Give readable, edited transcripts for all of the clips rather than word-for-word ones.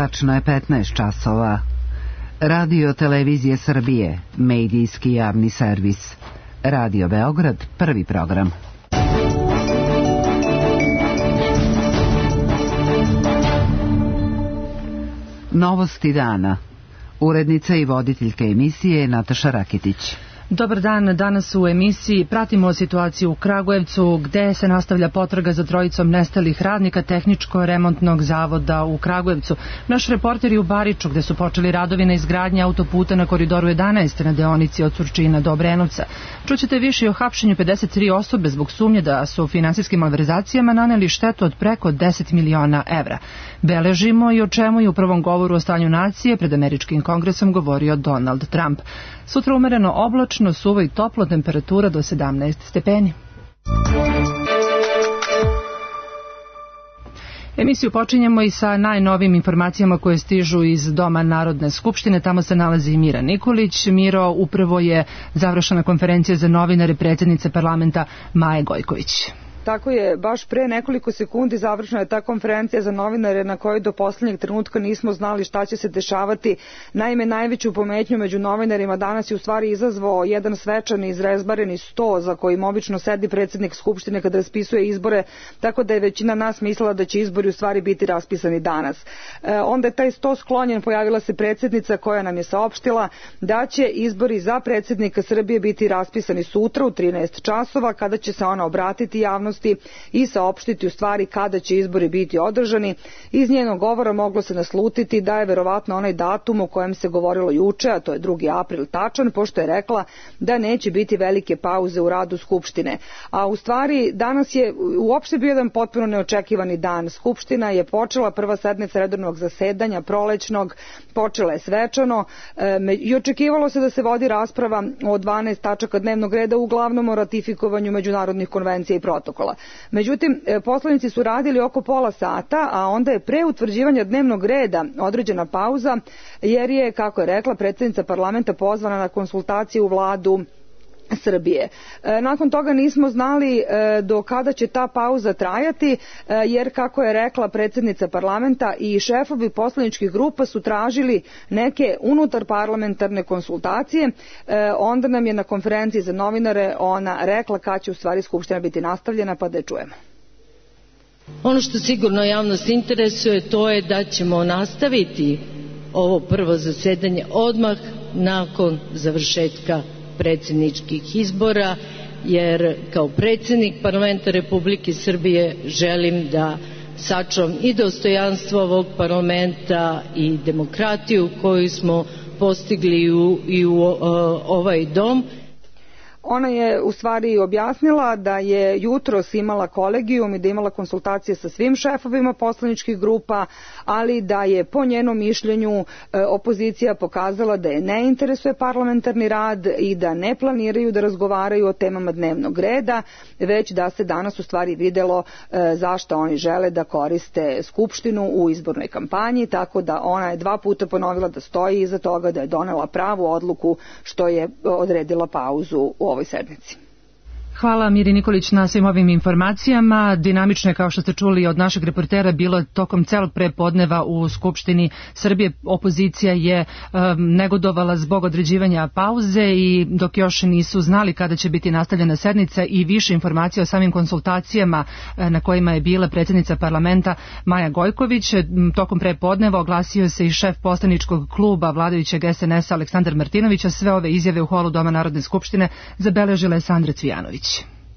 Tačno je 15 časova. Radio Televizije Srbije, medijski javni servis. Radio Beograd, prvi program. Novosti dana. Urednica i voditeljka emisije Nataša Rakitić. Dobar dan, danas u emisiji pratimo situaciju u Kragujevcu gde se nastavlja potraga za trojicom nestalih radnika Tehničko-remontnog zavoda u Kragujevcu. Naš reporter je u Bariču gde su počeli radovi na izgradnji autoputa na Koridoru 11 na deonici od Surčina do Obrenovca. Čućete više o hapšenju 53 osobe zbog sumnje da su finansijskim malverzacijama naneli štetu od preko 10 miliona evra. Beležimo i o čemu je u prvom govoru o stanju nacije pred Američkim kongresom govorio Donald Trump. Sutra umereno oblačno, suvo i toplo, temperatura do 17 stepeni. Emisiju počinjemo i sa najnovijim informacijama koje stižu iz Doma Narodne skupštine. Tamo se nalazi i Mira Nikolić. Miro, upravo je završena konferencija za novinare predsjednice parlamenta Maje Gojković. Tako je, baš pre nekoliko sekundi završena je ta konferencija za novinare na kojoj do poslednjeg trenutka nismo znali šta će se dešavati. Naime, najveću pometnju među novinarima danas je u stvari izazvao jedan svečani izrezbareni sto za kojim obično sedi predsjednik Skupštine kad raspisuje izbore, tako da je većina nas mislila da će izbori u stvari biti raspisani danas. Onda je taj sto sklonjen, pojavila se predsjednica koja nam je saopštila da će izbori za predsjednika Srbije biti raspisani sutra u 13 časova kada će se ona obratiti javnosti i saopštiti u stvari kada će izbori biti održani. Iz njenog govora moglo se naslutiti da je verovatno onaj datum o kojem se govorilo juče, a to je 2. april tačan, pošto je rekla da neće biti velike pauze u radu Skupštine. A u stvari danas je uopšte bio jedan potpuno neočekivani dan. Skupština je počela, prva sednica redovnog zasedanja prolećnog, počela je svečano i očekivalo se da se vodi rasprava o 12 tačaka dnevnog reda, uglavnom o ratifikovanju međunarodnih konvencija i protokola. Međutim, poslanici su radili oko pola sata, a onda je pre utvrđivanja dnevnog reda određena pauza, jer je, kako je rekla, predsjednica parlamenta pozvana na konsultacije u Vladu Srbije. Nakon toga nismo znali do kada će ta pauza trajati, jer, kako je rekla predsjednica parlamenta, i šefovi poslaničkih grupa su tražili neke unutar parlamentarne konsultacije. Onda nam je na konferenciji za novinare ona rekla kad će u stvari Skupština biti nastavljena, pa da je čujemo. Ono što sigurno javnost interesuje, to je da ćemo nastaviti ovo prvo zasedanje odmah nakon završetka predsjedničkih izbora, jer kao predsjednik parlamenta Republike Srbije želim da sačuvam i dostojanstvo ovog parlamenta i demokratiju koju smo postigli i u ovaj dom. Ona je u stvari objasnila da je jutros imala kolegijum i da imala konsultacije sa svim šefovima poslaničkih grupa, ali da je po njenom mišljenju opozicija pokazala da je ne interesuje parlamentarni rad i da ne planiraju da razgovaraju o temama dnevnog reda, već da se danas u stvari videlo zašto oni žele da koriste Skupštinu u izbornoj kampanji, tako da ona je 2 puta ponovila da stoji iza toga, da je donela pravu odluku što je odredila pauzu u ovoj sednici. Hvala Miri Nikolić na svim ovim informacijama. Dinamično je, kao što ste čuli od našeg reportera, bilo tokom celog prepodneva u Skupštini Srbije. Opozicija je negodovala zbog određivanja pauze i dok još nisu znali kada će biti nastavljena sednica, i više informacija o samim konsultacijama na kojima je bila predsjednica parlamenta Maja Gojković. Tokom prepodneva oglasio se i šef poslaničkog kluba vladajućeg SNS-a Aleksandar Martinović, a sve ove izjave u holu Doma Narodne skupštine zabeležila je Sandra Cvijanović.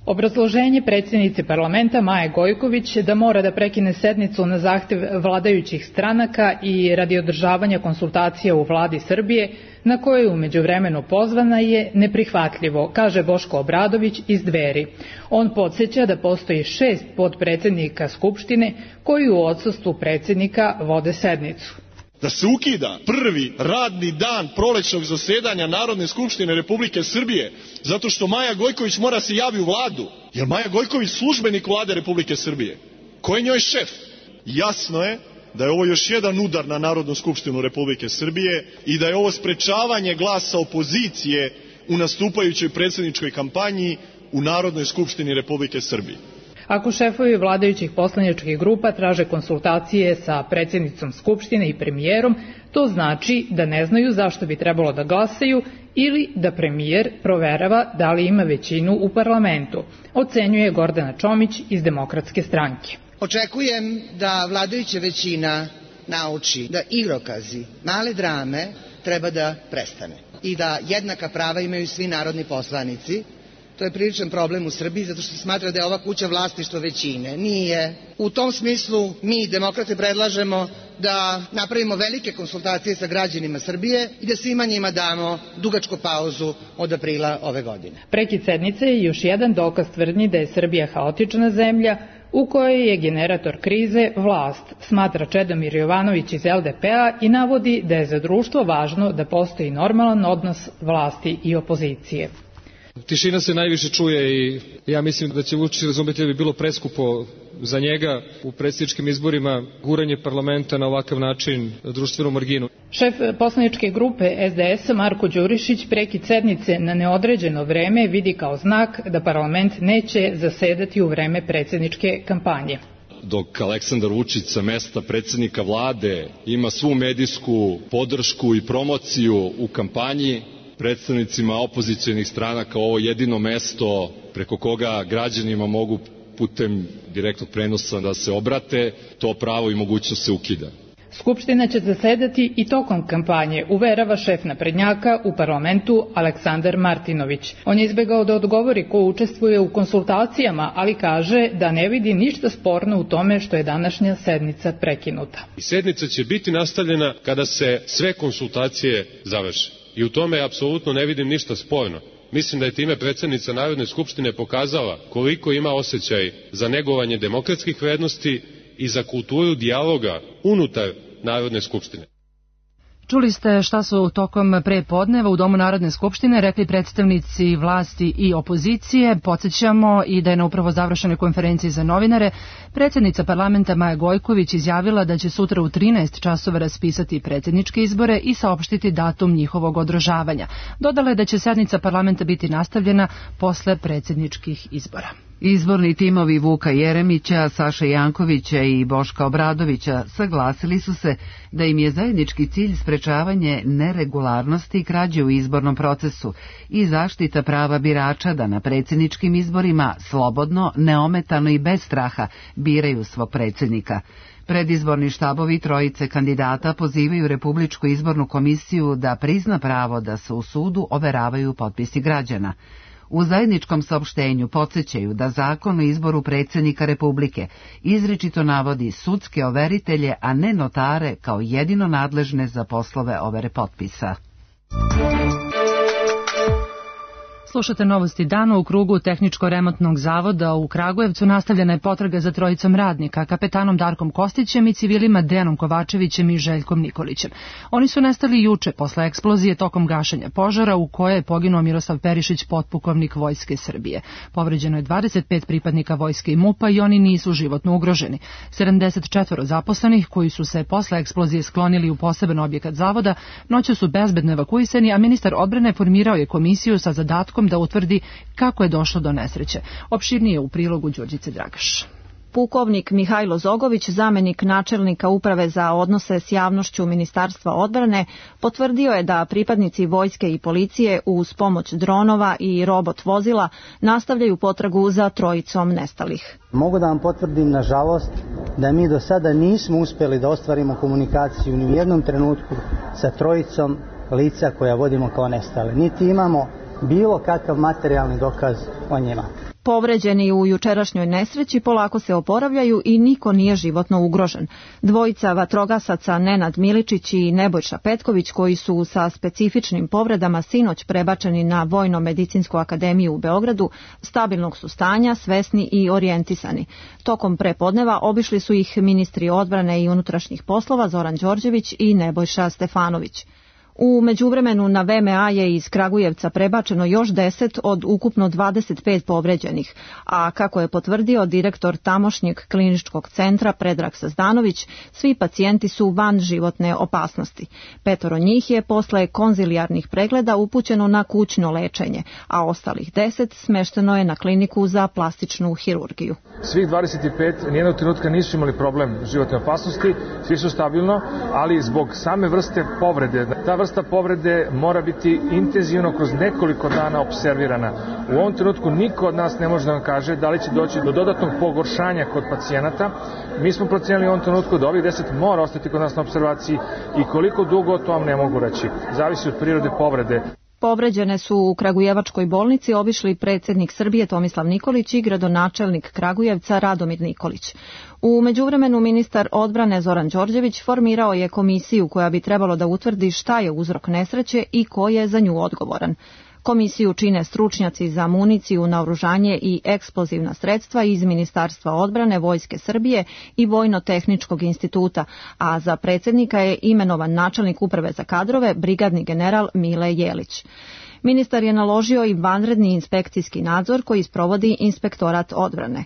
Obrazloženje predsjednice parlamenta Maje Gojković da mora da prekine sednicu na zahtev vladajućih stranaka i radi održavanja konsultacija u vladi Srbije, na koje je u međuvremenu pozvana, je neprihvatljivo, kaže Boško Obradović iz Dveri. On podsjeća da postoji 6 potpredsednika Skupštine koji u odsustvu predsjednika vode sednicu. Da se ukida prvi radni dan prolećnog zasedanja Narodne skupštine Republike Srbije zato što Maja Gojković mora se javi u vladu. Jer Maja Gojković službenik vlade Republike Srbije? Ko je njoj šef? Jasno je da je ovo još jedan udar na Narodnu skupštinu Republike Srbije i da je ovo sprečavanje glasa opozicije u nastupajućoj predsjedničkoj kampanji u Narodnoj skupštini Republike Srbije. Ako šefovi vladajućih poslaničkih grupa traže konsultacije sa predsjednicom Skupštine i premijerom, to znači da ne znaju zašto bi trebalo da glasaju ili da premijer proverava da li ima većinu u parlamentu, ocenjuje Gordana Čomić iz Demokratske stranke. Očekujem da vladajuća većina nauči da igrokazi, male drame treba da prestane i da jednaka prava imaju svi narodni poslanici. To je priličan problem u Srbiji zato što se smatra da je ova kuća vlasništvo većine. Nije. U tom smislu mi, demokrate, predlažemo da napravimo velike konsultacije sa građanima Srbije i da svima njima damo dugačku pauzu od aprila ove godine. Prekid sednice je još jedan dokaz tvrdnji da je Srbija haotična zemlja u kojoj je generator krize vlast, smatra Čedomir Jovanović iz LDP-a i navodi da je za društvo važno da postoji normalan odnos vlasti i opozicije. Tišina se najviše čuje i ja mislim da će Vučić razumeti da bi bilo preskupo za njega u predsjedničkim izborima guranje parlamenta na ovakav način društvenu marginu. Šef poslaničke grupe SDS Marko Đurišić prekid sednice na neodređeno vreme vidi kao znak da parlament neće zasedati u vreme predsjedničke kampanje. Dok Aleksandar Vučić sa mesta predsjednika vlade ima svu medijsku podršku i promociju u kampanji, predstavnicima opozicionih stranaka ovo jedino mesto preko koga građanima mogu putem direktnog prenosa da se obrate, to pravo i mogućnost se ukida. Skupština će zasedati i tokom kampanje, uverava šef naprednjaka u parlamentu Aleksandar Martinović. On je izbegao da odgovori ko učestvuje u konsultacijama, ali kaže da ne vidi ništa sporno u tome što je današnja sednica prekinuta. Sednica će biti nastavljena kada se sve konsultacije završe. I u tome apsolutno ne vidim ništa sporno. Mislim da je time predsjednica Narodne skupštine pokazala koliko ima osjećaj za negovanje demokratskih vrednosti i za kulturu dijaloga unutar Narodne skupštine. Čuli ste šta su tokom prepodneva u Domu Narodne skupštine rekli predstavnici vlasti i opozicije. Podsjećamo i da je na upravo završenoj konferenciji za novinare predsjednica parlamenta Maja Gojković izjavila da će sutra u 13 časova raspisati predsjedničke izbore i saopštiti datum njihovog održavanja. Dodala je da će sednica parlamenta biti nastavljena posle predsjedničkih izbora. Izborni timovi Vuka Jeremića, Saše Jankovića i Boška Obradovića saglasili su se da im je zajednički cilj sprečavanje neregularnosti i krađe u izbornom procesu i zaštita prava birača da na predsjedničkim izborima slobodno, neometano i bez straha biraju svog predsjednika. Predizborni štabovi trojice kandidata pozivaju Republičku izbornu komisiju da prizna pravo da se u sudu overavaju potpisi građana. U zajedničkom saopštenju podsjećaju da Zakon o izboru predsjednika Republike izričito navodi sudske overitelje, a ne notare kao jedino nadležne za poslove overe potpisa. Slušate novosti dana. U krugu Tehničko-remontnog zavoda u Kragujevcu nastavljena je potraga za trojicom radnika, kapetanom Darkom Kostićem i civilima Dejanom Kovačevićem i Željkom Nikolićem. Oni su nestali juče posle eksplozije tokom gašenja požara u kojoj je poginuo Miroslav Perišić, potpukovnik Vojske Srbije. Povređeno je 25 pripadnika Vojske i MUP-a i oni nisu životno ugroženi. 74 zaposlenih koji su se posle eksplozije sklonili u poseban objekat zavoda noću su bezbedno evakuisani, a ministar odbrane formirao je komisiju sa zadatkom da utvrdi kako je došlo do nesreće. Opširnije u prilogu Đurđice Dragaš. Pukovnik Mihajlo Zogović, zamenik načelnika Uprave za odnose s javnošću Ministarstva odbrane, potvrdio je da pripadnici vojske i policije uz pomoć dronova i robot vozila nastavljaju potragu za trojicom nestalih. Mogu da vam potvrdim, nažalost, da mi do sada nismo uspjeli da ostvarimo komunikaciju ni u jednom trenutku sa trojicom lica koja vodimo kao nestale. Niti imamo bilo kakav materijalni dokaz o njima. Povređeni u jučerašnjoj nesreći polako se oporavljaju i niko nije životno ugrožen. Dvojica vatrogasaca Nenad Miličić i Nebojša Petković, koji su sa specifičnim povredama sinoć prebačeni na Vojno-medicinsku akademiju u Beogradu, stabilnog su stanja, svesni i orijentisani. Tokom prepodneva obišli su ih ministri odbrane i unutrašnjih poslova Zoran Đorđević i Nebojša Stefanović. U međuvremenu na VMA je iz Kragujevca prebačeno još 10 od ukupno 25 povređenih, a kako je potvrdio direktor tamošnjeg kliničkog centra Predrag Sazdanović, svi pacijenti su van životne opasnosti. 5 njih je posle konzilijarnih pregleda upućeno na kućno lečenje, a ostalih 10 smešteno je na kliniku za plastičnu hirurgiju. Svih 25 nijednog trenutka nisu imali problem životne opasnosti, svi su stabilno, ali zbog same vrste povrede, ta vrsta povrede mora biti intenzivno kroz nekoliko dana observirana. U ovom trenutku niko od nas ne može da vam kaže da li će doći do dodatnog pogoršanja kod pacijenata. Mi smo procenili u ovom trenutku da ovih 10 mora ostati kod nas na observaciji i koliko dugo to vam ne mogu reći. Zavisi od prirode povrede. Povređene su u Kragujevačkoj bolnici obišli predsjednik Srbije Tomislav Nikolić i gradonačelnik Kragujevca Radomir Nikolić. U međuvremenu ministar odbrane Zoran Đorđević formirao je komisiju koja bi trebalo da utvrdi šta je uzrok nesreće i ko je za nju odgovoran. Komisiju čine stručnjaci za municiju, naoružanje i eksplozivna sredstva iz Ministarstva odbrane Vojske Srbije i Vojno-tehničkog instituta, a za predsjednika je imenovan načelnik uprave za kadrove, brigadni general Mile Jelić. Ministar je naložio i vanredni inspekcijski nadzor koji sprovodi Inspektorat odbrane.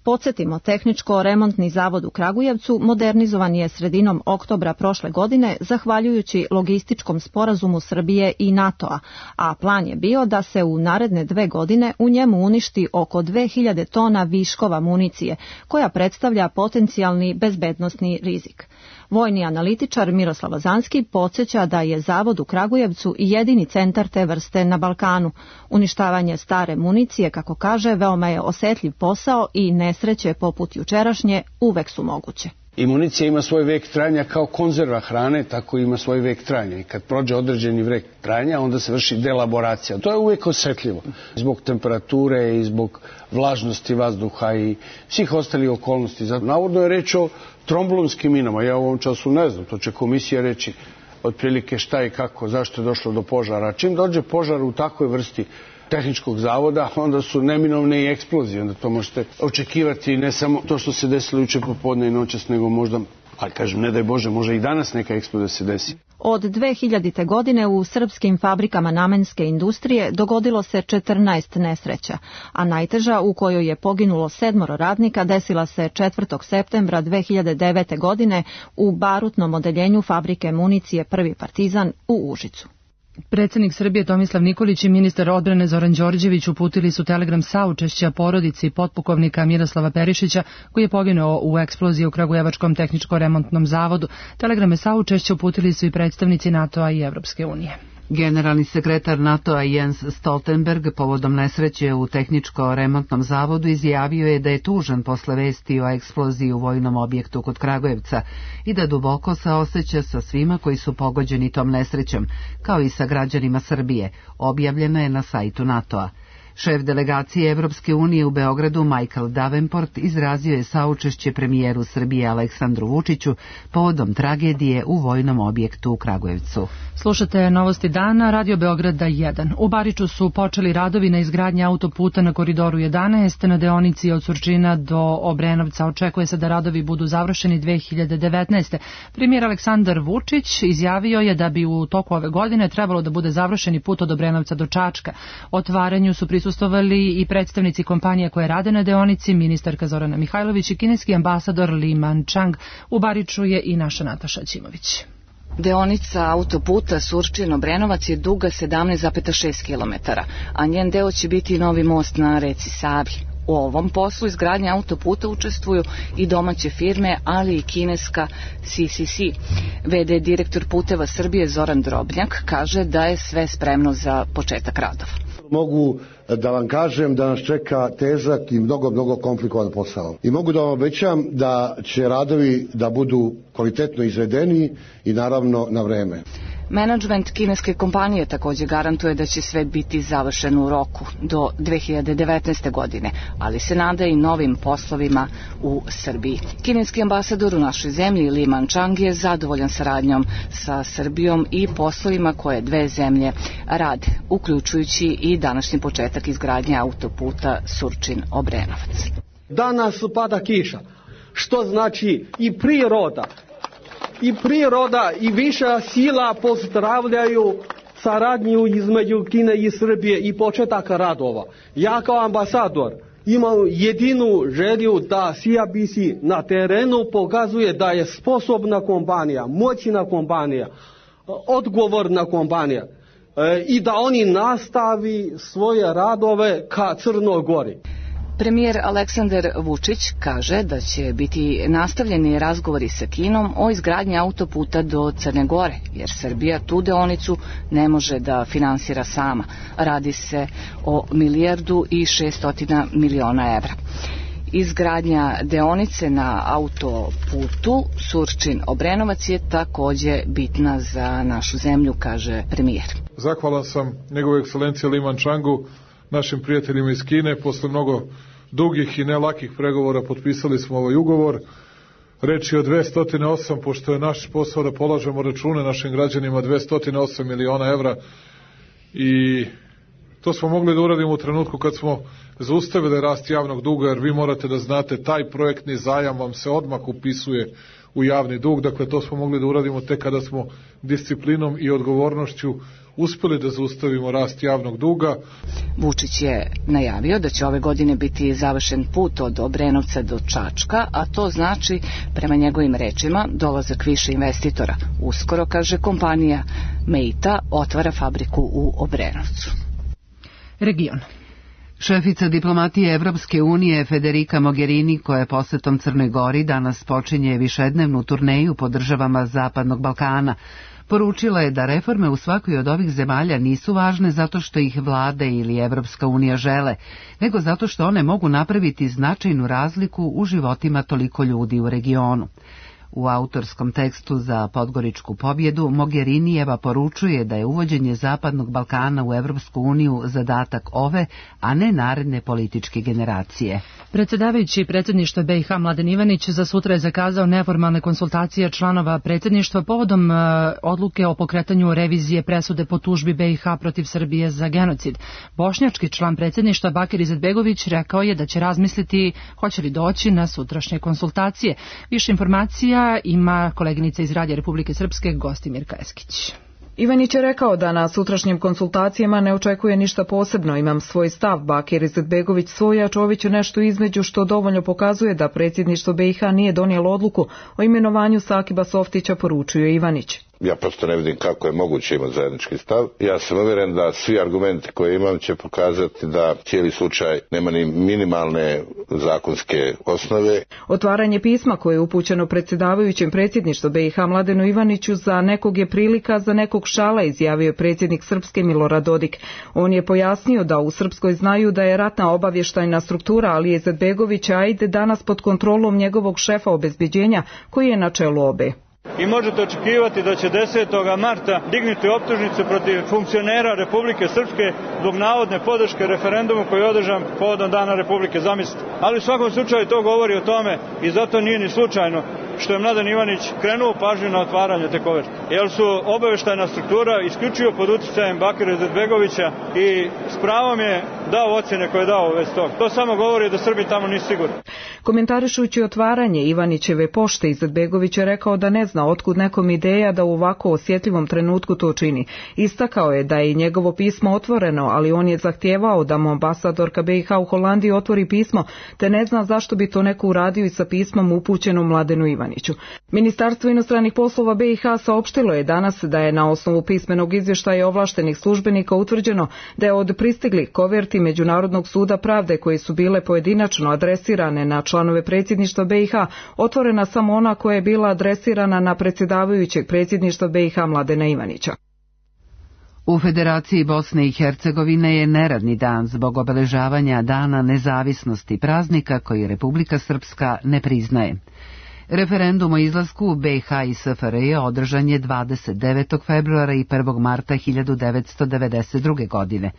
Podsjetimo, Tehničko-remontni zavod u Kragujevcu modernizovan je sredinom oktobra prošle godine zahvaljujući logističkom sporazumu Srbije i NATO-a, a plan je bio da se u naredne 2 godine u njemu uništi oko 2000 tona viškova municije, koja predstavlja potencijalni bezbednosni rizik. Vojni analitičar Miroslav Lazanski podsjeća da je zavod u Kragujevcu jedini centar te vrste na Balkanu. Uništavanje stare municije, kako kaže, veoma je osetljiv posao i nesreće poput jučerašnje uvek su moguće. I municija ima svoj vek trajanja kao konzerva hrane, tako ima svoj vek trajanja. I kad prođe određeni vek trajanja, onda se vrši delaboracija. To je uvek osetljivo. Zbog temperature i zbog vlažnosti vazduha i svih ostalih okolnosti. Navodno je reč o tromblonskim minama. Ja u ovom času ne znam, to će komisija reći otprilike šta i kako, zašto je došlo do požara. Čim dođe požar u takvoj vrsti tehničkog zavoda, onda su neminovne i eksplozije. Onda to možete očekivati ne samo to što se desilo juče popodne i noćas, nego možda, ali kažem, ne daj Bože, može i danas neka eksplozija se desi. Od 2000. godine u srpskim fabrikama namenske industrije dogodilo se 14 nesreća, a najteža, u kojoj je poginulo 7 radnika, desila se 4. septembra 2009. godine u barutnom odeljenju fabrike municije Prvi Partizan u Užicu. Predsjednik Srbije Tomislav Nikolić i ministar odbrane Zoran Đorđević uputili su telegram saučešća porodici potpukovnika Miroslava Perišića, koji je poginuo u eksploziji u Kragujevačkom tehničko-remontnom zavodu. Telegrame saučešća uputili su i predstavnici NATO-a i Evropske unije. Generalni sekretar NATO-a Jens Stoltenberg povodom nesreće u tehničko-remontnom zavodu izjavio je da je tužan posle vesti o eksploziji u vojnom objektu kod Kragujevca i da duboko saoseća sa svima koji su pogođeni tom nesrećom, kao i sa građanima Srbije, objavljeno je na sajtu NATO-a. Šef delegacije Evropske unije u Beogradu Michael Davenport izrazio je saučešće premijeru Srbije Aleksandru Vučiću povodom tragedije u vojnom objektu u Kragujevcu. Slušate Novosti dana, Radio Beograda 1. U Bariču su počeli radovi na izgradnji autoputa na Koridoru 11 na deonici od Surčina do Obrenovca. Očekuje se da radovi budu završeni 2019. Premijer Aleksandar Vučić izjavio je da bi u toku ove godine trebalo da bude završeni put od Obrenovca do Čačka. Otvaranju su prisustvovali i predstavnici kompanije koje rade na deonici, ministarka Zorana Mihajlović i kineski ambasador Li Manchang. U Bariču je i naša Nataša Ćimović. Deonica autoputa Surčin-Obrenovac je duga 17,6 km, a njen deo će biti novi most na reci Savi. U ovom poslu izgradnje autoputa učestvuju i domaće firme, ali i kineska CCC. VD direktor Puteva Srbije Zoran Drobnjak kaže da je sve spremno za početak radova. Mogu da vam kažem da nas čeka težak i mnogo komplikovan posao. I mogu da vam obećam da će radovi da budu kvalitetno izvedeni i naravno na vreme. Menadžment kineske kompanije također garantuje da će sve biti završeno u roku do 2019. godine, ali se nada i novim poslovima u Srbiji. Kineski ambasador u našoj zemlji Li Manchang je zadovoljan saradnjom sa Srbijom i poslovima koje dve zemlje rade, uključujući i današnji početak izgradnje autoputa Surčin-Obrenovac. Danas pada kiša, što znači i priroda i priroda i viša sila pozdravljaju saradnju između Kine i Srbije i početak radova. Ja kao ambasador imam jedinu želju da CIBC na terenu pokazuje da je sposobna kompanija, moćna kompanija, odgovorna kompanija i da oni nastavi svoje radove ka Crnoj Gori. Premijer Aleksandar Vučić kaže da će biti nastavljeni razgovori sa Kinom o izgradnji autoputa do Crne Gore, jer Srbija tu deonicu ne može da finansira sama. Radi se o 1.600.000.000 evra. Izgradnja deonice na autoputu Surčin-Obrenovac je takođe bitna za našu zemlju, kaže premijer. Zahvalan sam njegove ekscelencije Li Mančangu, našim prijateljima iz Kine. Posle mnogo dugih i nelakih pregovora potpisali smo ovaj ugovor. Reč je o 208, pošto je naš posao da polažemo račune našim građanima, 208 miliona evra, i to smo mogli da uradimo u trenutku kad smo zaustavili rast javnog duga, jer vi morate da znate, taj projektni zajam vam se odmah upisuje u javni dug. Dakle, to smo mogli da uradimo tek kada smo disciplinom i odgovornošću uspeli da zaustavimo rast javnog duga. Vučić je najavio da će ove godine biti završen put od Obrenovca do Čačka, a to znači, prema njegovim rečima, dolazak više investitora. Uskoro, kaže, kompanija Meita otvara fabriku u Obrenovcu. Region. Šefica diplomatije Evropske unije Federica Mogherini, koja je posetom Crnoj Gori danas počinje višednevnu turneju po državama Zapadnog Balkana, poručila je da reforme u svakoj od ovih zemalja nisu važne zato što ih vlade ili Evropska unija žele, nego zato što one mogu napraviti značajnu razliku u životima toliko ljudi u regionu. U autorskom tekstu za Podgoričku pobjedu Mogherinijeva poručuje da je uvođenje Zapadnog Balkana u Evropsku uniju zadatak ove, a ne naredne političke generacije. Predsjedavajući predsjedništva BiH Mladen Ivanić za sutra je zakazao neformalne konsultacije članova predsjedništva povodom odluke o pokretanju revizije presude po tužbi BiH protiv Srbije za genocid. Bošnjački član predsjedništva Bakir Izetbegović rekao je da će razmisliti hoće li doći na sutrašnje konsultacije. Više informacija ima koleginica iz Radija Republike Srpske Gostimirka Eskić. Ivanić je rekao da na sutrašnjim konsultacijama ne očekuje ništa posebno. Imam svoj stav, Bakir Izetbegović svoj, a Čović nešto između, što dovoljno pokazuje da predsjedništvo BiH nije donijelo odluku o imenovanju Sakiba Softića, poručuje Ivanić. Ja prosto ne vidim kako je moguće imati zajednički stav. Ja sam uvjeren da svi argumenti koje imam će pokazati da cijeli slučaj nema ni minimalne zakonske osnove. Otvaranje pisma koje je upućeno predsjedavajućem predsjedništva BiH Mladenu Ivaniću za nekog je prilika, za nekog šala, izjavio je predsjednik Srpske Milorad Dodik. On je pojasnio da u Srpskoj znaju da je ratna obavještajna struktura Alije Izetbegovića ajde danas pod kontrolom njegovog šefa obezbeđenja koji je na čelu obe. I možete očekivati da će 10. marta dignuti optužnicu protiv funkcionera Republike Srpske zbog navodne podrške referendumu koji je održan povodom Dana Republike, zamislite. Ali u svakom slučaju to govori o tome i zato nije ni slučajno što je Mladen Ivanić krenuo pažnju na otvaranje te koverte. Jer su obavještajna struktura isključivo pod utjecajem Bakira Izetbegovića i s pravom je dao ocjene koje je dao već toga. To samo govori da Srbi tamo nisu sigurni. Komentarišući otvaranje Ivanićeve pošte, Izetbegović je rekao da ne zna otkud nekom ideja da u ovako osjetljivom trenutku to čini. Istakao je da je i njegovo pismo otvoreno, ali on je zahtijevao da mu ambasadorka BiH u Holandiji otvori pismo, te ne zna zašto bi to neko uradio i sa pismom upućenom Mladenu Ivaniću. Ministarstvo inostranih poslova BiH saopštilo je danas da je na osnovu pismenog izvještaja ovlaštenih službenika utvrđeno da je od pristiglih koverti Međunarodnog suda pravde koje su bile pojedinačno adresirane na članove predsjedništva BiH otvorena samo ona koja je bila adresirana na predsjedavajućeg predsjedništva BiH Mladena Ivanića. U Federaciji Bosne i Hercegovine je neradni dan zbog obeležavanja Dana nezavisnosti, praznika koji Republika Srpska ne priznaje. Referendum o izlasku BiH i SFRJ održan je 29. februara i 1. marta 1992. godine.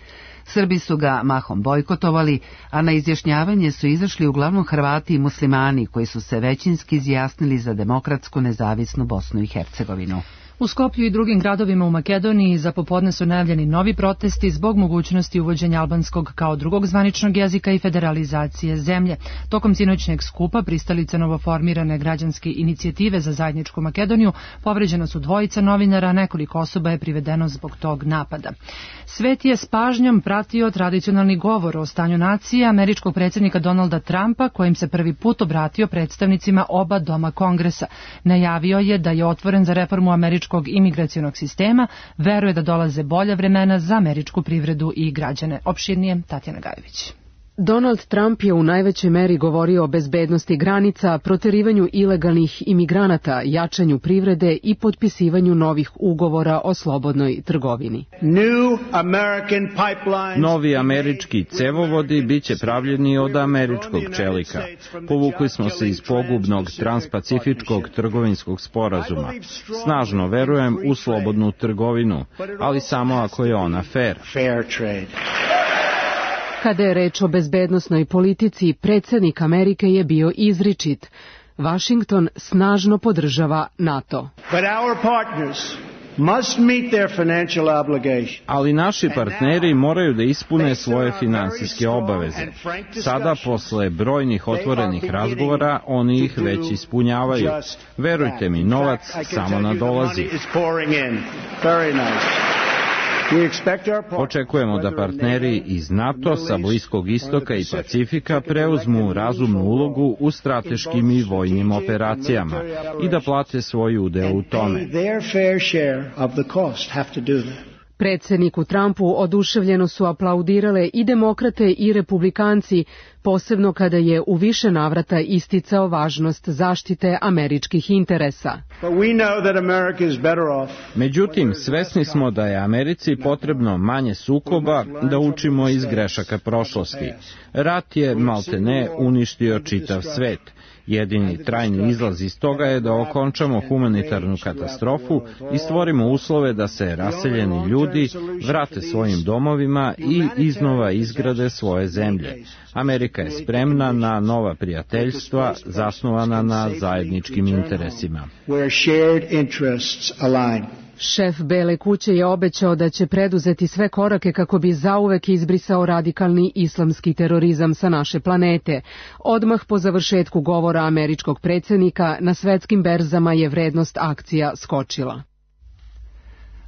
Srbi su ga mahom bojkotovali, a na izjašnjavanje su izašli uglavnom Hrvati i muslimani koji su se većinski izjasnili za demokratsku nezavisnu Bosnu i Hercegovinu. U Skoplju i drugim gradovima u Makedoniji za popodne su najavljeni novi protesti zbog mogućnosti uvođenja albanskog kao drugog zvaničnog jezika i federalizacije zemlje. Tokom sinoćnjeg skupa pristalice novoformirane građanske inicijative za zajedničku Makedoniju povređena su dvojica novinara, a nekoliko osoba je privedeno zbog tog napada. Svet je s pažnjom pratio tradicionalni govor o stanju nacije američkog predsjednika Donalda Trumpa, kojim se prvi put obratio predstavnicima oba doma Kongresa. Najavio je da je otvoren za reformu američkog imigracionog sistema, veruje da dolaze bolja vremena za američku privredu i građane. Opširnije Tatjana Gajević. Donald Trump je u najvećoj meri govorio o bezbednosti granica, proterivanju ilegalnih imigranata, jačanju privrede i potpisivanju novih ugovora o slobodnoj trgovini. Novi američki cevovodi biće pravljeni od američkog čelika. Povukli smo se iz pogubnog transpacifičkog trgovinskog sporazuma. Snažno verujem u slobodnu trgovinu, ali samo ako je ona fair. Kada je reč o bezbednosnoj politici, predsjednik Amerike je bio izričit. Washington snažno podržava NATO. Ali naši partneri moraju da ispune svoje finansijske obaveze. Sada, posle brojnih otvorenih razgovora, oni ih već ispunjavaju. Verujte mi, novac samo nadolazi. Očekujemo da partneri iz NATO sa Bliskog istoka i Pacifika preuzmu razumnu ulogu u strateškim i vojnim operacijama i da plate svoj udeo u tome. Predsjedniku Trumpu oduševljeno su aplaudirale i demokrate i republikanci, posebno kada je u više navrata isticao važnost zaštite američkih interesa. Međutim, svesni smo da je Americi potrebno manje sukoba, da učimo iz grešaka prošlosti. Rat je maltene uništio čitav svet. Jedini trajni izlaz iz toga je da okončamo humanitarnu katastrofu i stvorimo uslove da se raseljeni ljudi vrate svojim domovima i iznova izgrade svoje zemlje. Amerika je spremna na nova prijateljstva zasnovana na zajedničkim interesima. Šef Bele kuće je obećao da će preduzeti sve korake kako bi zauvek izbrisao radikalni islamski terorizam sa naše planete. Odmah po završetku govora američkog predsjednika na svetskim berzama je vrednost akcija skočila.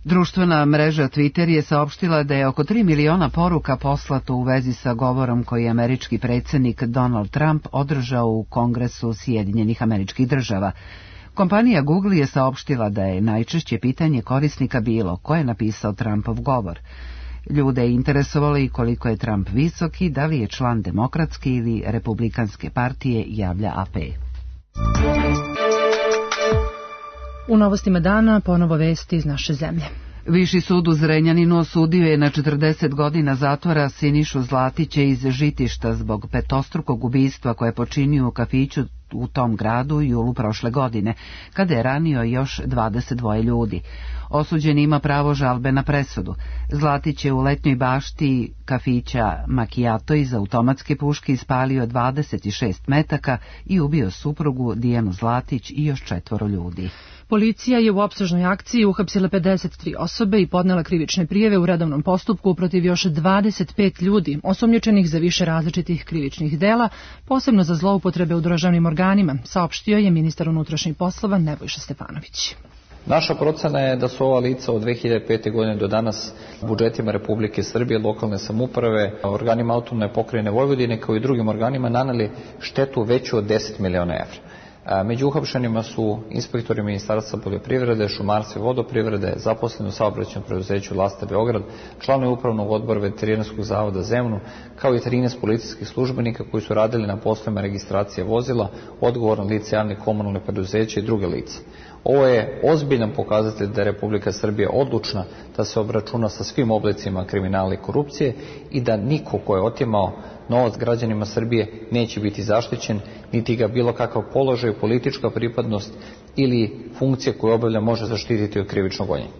Društvena mreža Twitter je saopštila da je oko 3 miliona poruka poslato u vezi sa govorom koji je američki predsjednik Donald Trump održao u Kongresu Sjedinjenih Američkih Država. Kompanija Google je saopštila da je najčešće pitanje korisnika bilo ko je napisao Trumpov govor. Ljude je interesovalo i koliko je Trump visok i da li je član demokratske ili republikanske partije, javlja AP. U novostima dana ponovo vesti iz naše zemlje. Viši sud u Zrenjaninu osudio je na 40 godina zatvora Sinišu Zlatića iz Žitišta zbog petostrukog ubistva koje je počinio u kafiću u tom gradu julu prošle godine, kada je ranio još 22 ljudi. Osuđeni ima pravo žalbe na presudu. Zlatić je u letnjoj bašti kafića Macchiato iz automatske puške ispalio 26 metaka i ubio suprugu Dijanu Zlatić i još 4 ljudi. Policija je u opsežnoj akciji uhapsila 53 osobe i podnela krivične prijave u redovnom postupku protiv još 25 ljudi, osumnjičenih za više različitih krivičnih dela, posebno za zloupotrebe u državnim organima, saopštio je ministar unutrašnjih poslova Nebojša Stefanović. Naša procena je da su ova lica od 2005. godine do danas budžetima Republike Srbije, lokalne samouprave, organima autonomne pokrajine Vojvodine kao i drugim organima naneli štetu veću od 10 miliona evra. Među uhapšenima su inspektori Ministarstva poljoprivrede, šumarstva i vodoprivrede, zaposleni u saobraćajnom preduzeću Lasta Beograd, članovi upravnog odbora Veterinarskog zavoda Zemunu, kao i 13 policijskih službenika koji su radili na poslovima registracije vozila, odgovorno lice javnih komunalnih preduzeća i druge lice. Ovo je ozbiljan pokazatelj da je Republika Srbija odlučna da se obračuna sa svim oblicima kriminala i korupcije i da niko ko je otimao novac građanima Srbije neće biti zaštićen, niti ga bilo kakav položaj, politička pripadnost ili funkcija koju obavlja može zaštititi od krivičnog gonjenja.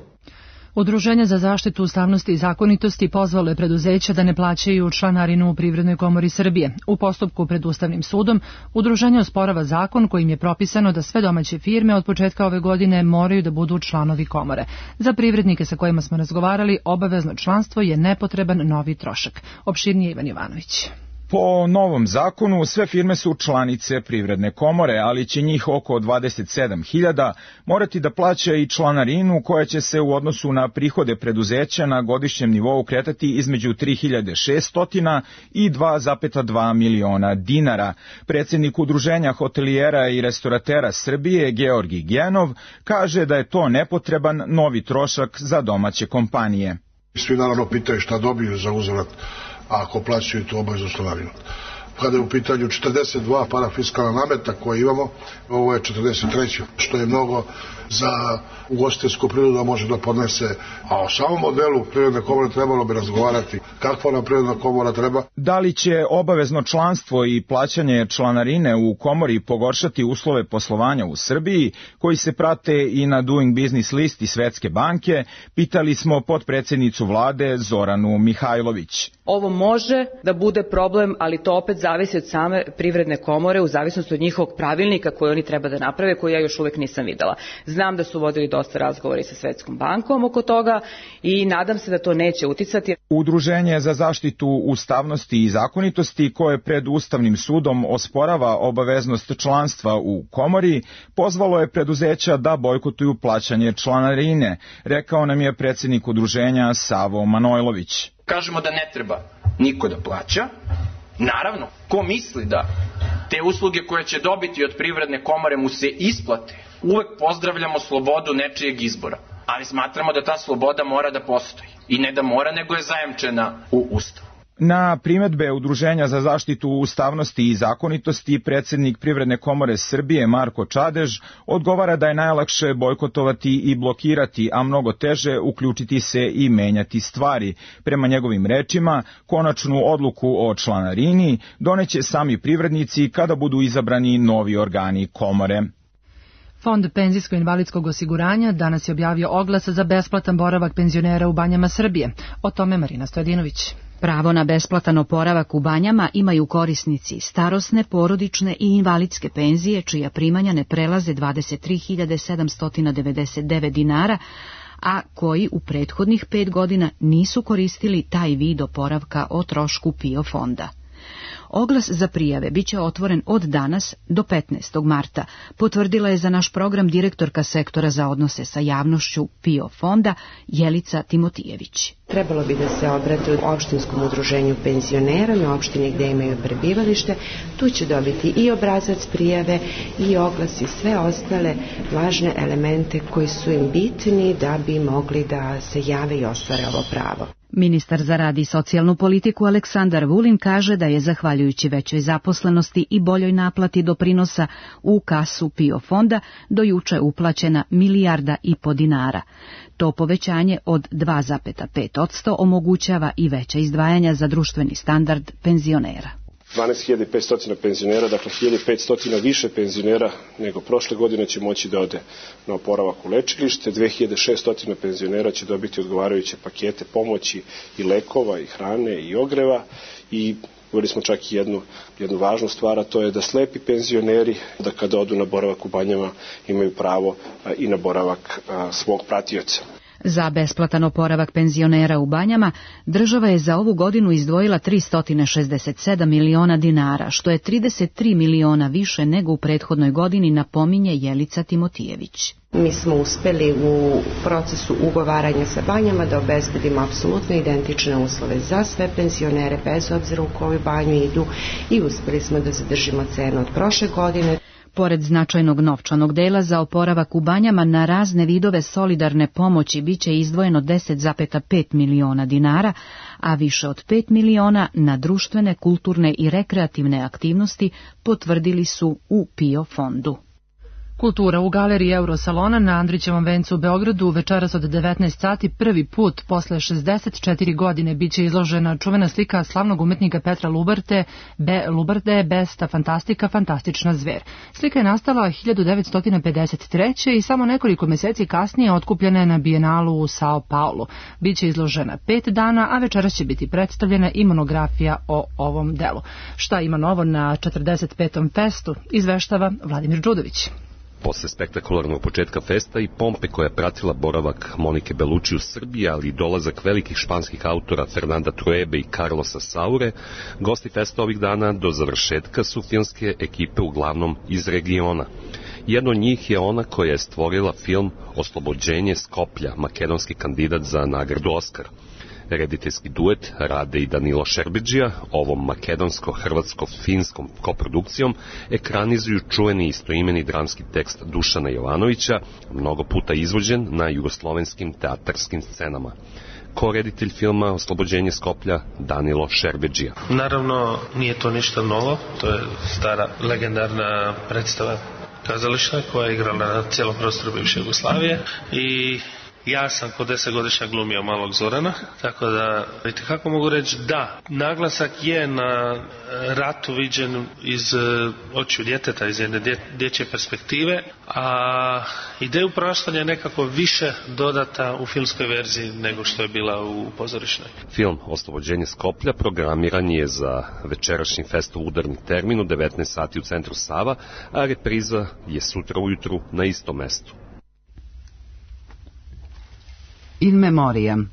Udruženje za zaštitu ustavnosti i zakonitosti pozvalo je preduzeća da ne plaćaju članarinu u Privrednoj komori Srbije. U postupku pred Ustavnim sudom udruženje osporava zakon kojim je propisano da sve domaće firme od početka ove godine moraju da budu članovi komore. Za privrednike sa kojima smo razgovarali, obavezno članstvo je nepotreban novi trošak. Opširnije Ivan Jovanović. Po novom zakonu sve firme su članice Privredne komore, ali će njih oko 27.000 morati da plaća i članarinu koja će se u odnosu na prihode preduzeća na godišnjem nivou kretati između 3.600 i 2,2 miliona dinara. Predsjednik Udruženja hotelijera i restoratera Srbije, Georgi Genov, kaže da je to nepotreban novi trošak za domaće kompanije. Svi naravno pitaju šta dobiju za uzvrat ako plaćaju tu obaveznu članarinu. Kada je u pitanju 42 parafiskalna nameta koje imamo, ovo je 43. što je mnogo za ugostiteljsku privredu da može da podnese. A o samom modelu Privredne komore trebalo bi razgovarati kakva nam Privredna komora treba. Da li će obavezno članstvo i plaćanje članarine u komori pogoršati uslove poslovanja u Srbiji, koji se prate i na Doing Business listi Svetske banke, pitali smo potpredsjednicu vlade Zoranu Mihajlović. Ovo može da bude problem, ali to opet zavisi od same Privredne komore, u zavisnosti od njihovog pravilnika koji oni treba da naprave, koji ja još uvek nisam videla. Znam da su vodili dosta razgovora i sa Svetskom bankom oko toga i nadam se da to neće uticati. Udruženje za zaštitu ustavnosti i zakonitosti, koje pred Ustavnim sudom osporava obaveznost članstva u komori, pozvalo je preduzeća da bojkotuju plaćanje članarine, rekao nam je predsjednik udruženja Savo Manojlović. Kažemo da ne treba niko da plaća. Naravno, ko misli da te usluge koje će dobiti od Privredne komore mu se isplate, uvek pozdravljamo slobodu nečijeg izbora, ali smatramo da ta sloboda mora da postoji. I ne da mora, nego je zajamčena u Ustavu. Na primedbe Udruženja za zaštitu ustavnosti i zakonitosti, predsjednik Privredne komore Srbije Marko Čadež odgovara da je najlakše bojkotovati i blokirati, a mnogo teže uključiti se i menjati stvari. Prema njegovim rečima, konačnu odluku o članarini doneće sami privrednici kada budu izabrani novi organi komore. Fond penzijsko-invalidskog osiguranja danas je objavio oglas za besplatan boravak penzionera u Banjama Srbije. O tome Marina Stojadinović. Pravo na besplatan oporavak u Banjama imaju korisnici starosne, porodične i invalidske penzije čija primanja ne prelaze 23.799 dinara, a koji u prethodnih 5 godina nisu koristili taj vid oporavka o trošku PIO fonda. Oglas za prijave biće otvoren od danas do 15. marta, potvrdila je za naš program direktorka sektora za odnose sa javnošću PIO fonda Jelica Timotijević. Trebalo bi da se obrate opštinskom udruženju penzionera na opštini gde imaju prebivalište. Tu će dobiti i obrazac prijave i oglas i sve ostale važne elemente koji su im bitni da bi mogli da se jave i ostvare ovo pravo. Ministar za rad i socijalnu politiku Aleksandar Vulin kaže da je zahvaljujući većoj zaposlenosti i boljoj naplati doprinosa u kasu PIO fonda do juče uplaćena 1,5 milijarda dinara. To povećanje od 2,5% omogućava i veća izdvajanja za društveni standard penzionera. 12.500 penzionera, dakle 1.500 više penzionera nego prošle godine će moći da ode na oporavak u lečilište, 2.600 penzionera će dobiti odgovarajuće pakete pomoći i lekova i hrane i ogreva i govorili smo čak i jednu važnu stvar, a to je da slepi penzioneri, da kada odu na boravak u Banjama imaju pravo i na boravak svog pratioca. Za besplatan oporavak penzionera u Banjama država je za ovu godinu izdvojila 367 miliona dinara, što je 33 miliona više nego u prethodnoj godini, napominje Jelica Timotijević. Mi smo uspeli u procesu ugovaranja sa Banjama da obezbedimo apsolutno identične uslove za sve penzionere, bez obzira u koju banju idu, i uspeli smo da zadržimo cenu od prošle godine. Pored značajnog novčanog dela za oporavak u Banjama, na razne vidove solidarne pomoći biće izdvojeno 10,5 miliona dinara, a više od 5 miliona na društvene, kulturne i rekreativne aktivnosti, potvrdili su u PIO fondu. Kultura u galeriji Eurosalona na Andrićevom vencu u Beogradu večeras od 19 sati prvi put posle 64 godine biće izložena čuvena slika slavnog umetnika Petra Lubarde Besta fantastika, fantastična zver. Slika je nastala 1953. i samo nekoliko meseci kasnije otkupljena je na Bijenalu u Sao Paulo. Biće izložena 5 dana, a večeras će biti predstavljena i monografija o ovom delu. Šta ima novo na 45. festu, izveštava Vladimir Đudović. Posle spektakularnog početka festa i pompe koja je pratila boravak Monike Bellucci u Srbiji, ali i dolazak velikih španskih autora Fernanda Truebe i Carlosa Saure, gosti festa ovih dana do završetka su filmske ekipe uglavnom iz regiona. Jedno od njih je ona koja je stvorila film Oslobođenje Skoplja, makedonski kandidat za nagradu Oskar. Rediteljski duet Rade i Danilo Šerbedžija ovom makedonsko-hrvatsko-finskom koprodukcijom ekranizuju čuveni istoimeni dramski tekst Dušana Jovanovića, mnogo puta izvođen na jugoslovenskim teatarskim scenama. Ko-reditelj filma Oslobođenje Skoplja Danilo Šerbedžija. Naravno, nije to ništa novo, to je stara legendarna predstava kazališta koja je igrala na cijelom prostoru bivše Jugoslavije i ja sam kod 10-godišnjak glumio malog Zorana, tako da kako mogu reći da, naglasak je na ratu viđen iz očiju djeteta, iz jedne dječje perspektive, a ideju praštanja je nekako više dodata u filmskoj verziji nego što je bila u pozorišnoj. Film Oslobođenje Skoplja programiran je za večerašnji festov udarni termin u 19 sati u centru Sava, a repriza je sutra ujutru na istom mestu. In memoriam.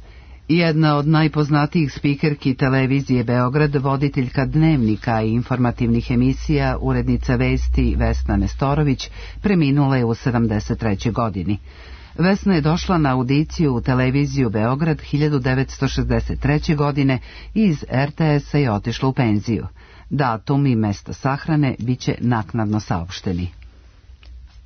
Jedna od najpoznatijih spikerki televizije Beograd, voditeljka dnevnika i informativnih emisija, urednica vesti Vesna Nestorović, preminula je u 73. godini. Vesna je došla na audiciju u televiziju Beograd 1963. godine i iz RTS-a je otišla u penziju. Datum i mesto sahrane biće naknadno saopšteni.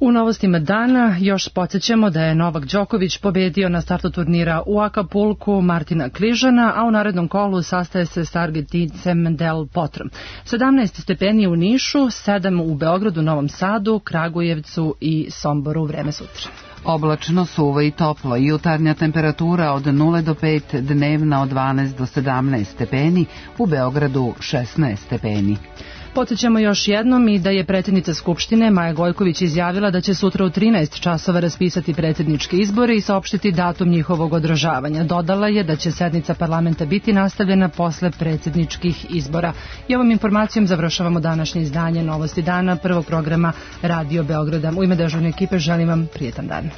U novostima dana još podsjećamo da je Novak Đoković pobedio na startu turnira u Acapulcu Martina Križana, a u narednom kolu sastaje se s Argentincem Del Potrom. 17 stepeni u Nišu, 7 u Beogradu, Novom Sadu, Kragujevcu i Somboru. Vreme sutra. Oblačno, suvo i toplo, jutarnja temperatura od 0 do 5, dnevna od 12 do 17 stepeni, u Beogradu 16 stepeni. Podsjećamo još jednom i da je predsjednica Skupštine Maja Gojković izjavila da će sutra u 13 časova raspisati predsjedničke izbore i saopštiti datum njihovog održavanja. Dodala je da će sednica parlamenta biti nastavljena posle predsjedničkih izbora. I ovom informacijom završavamo današnje izdanje Novosti dana, prvog programa Radio Beograda. U ime dežurne ekipe želim vam prijetan dan.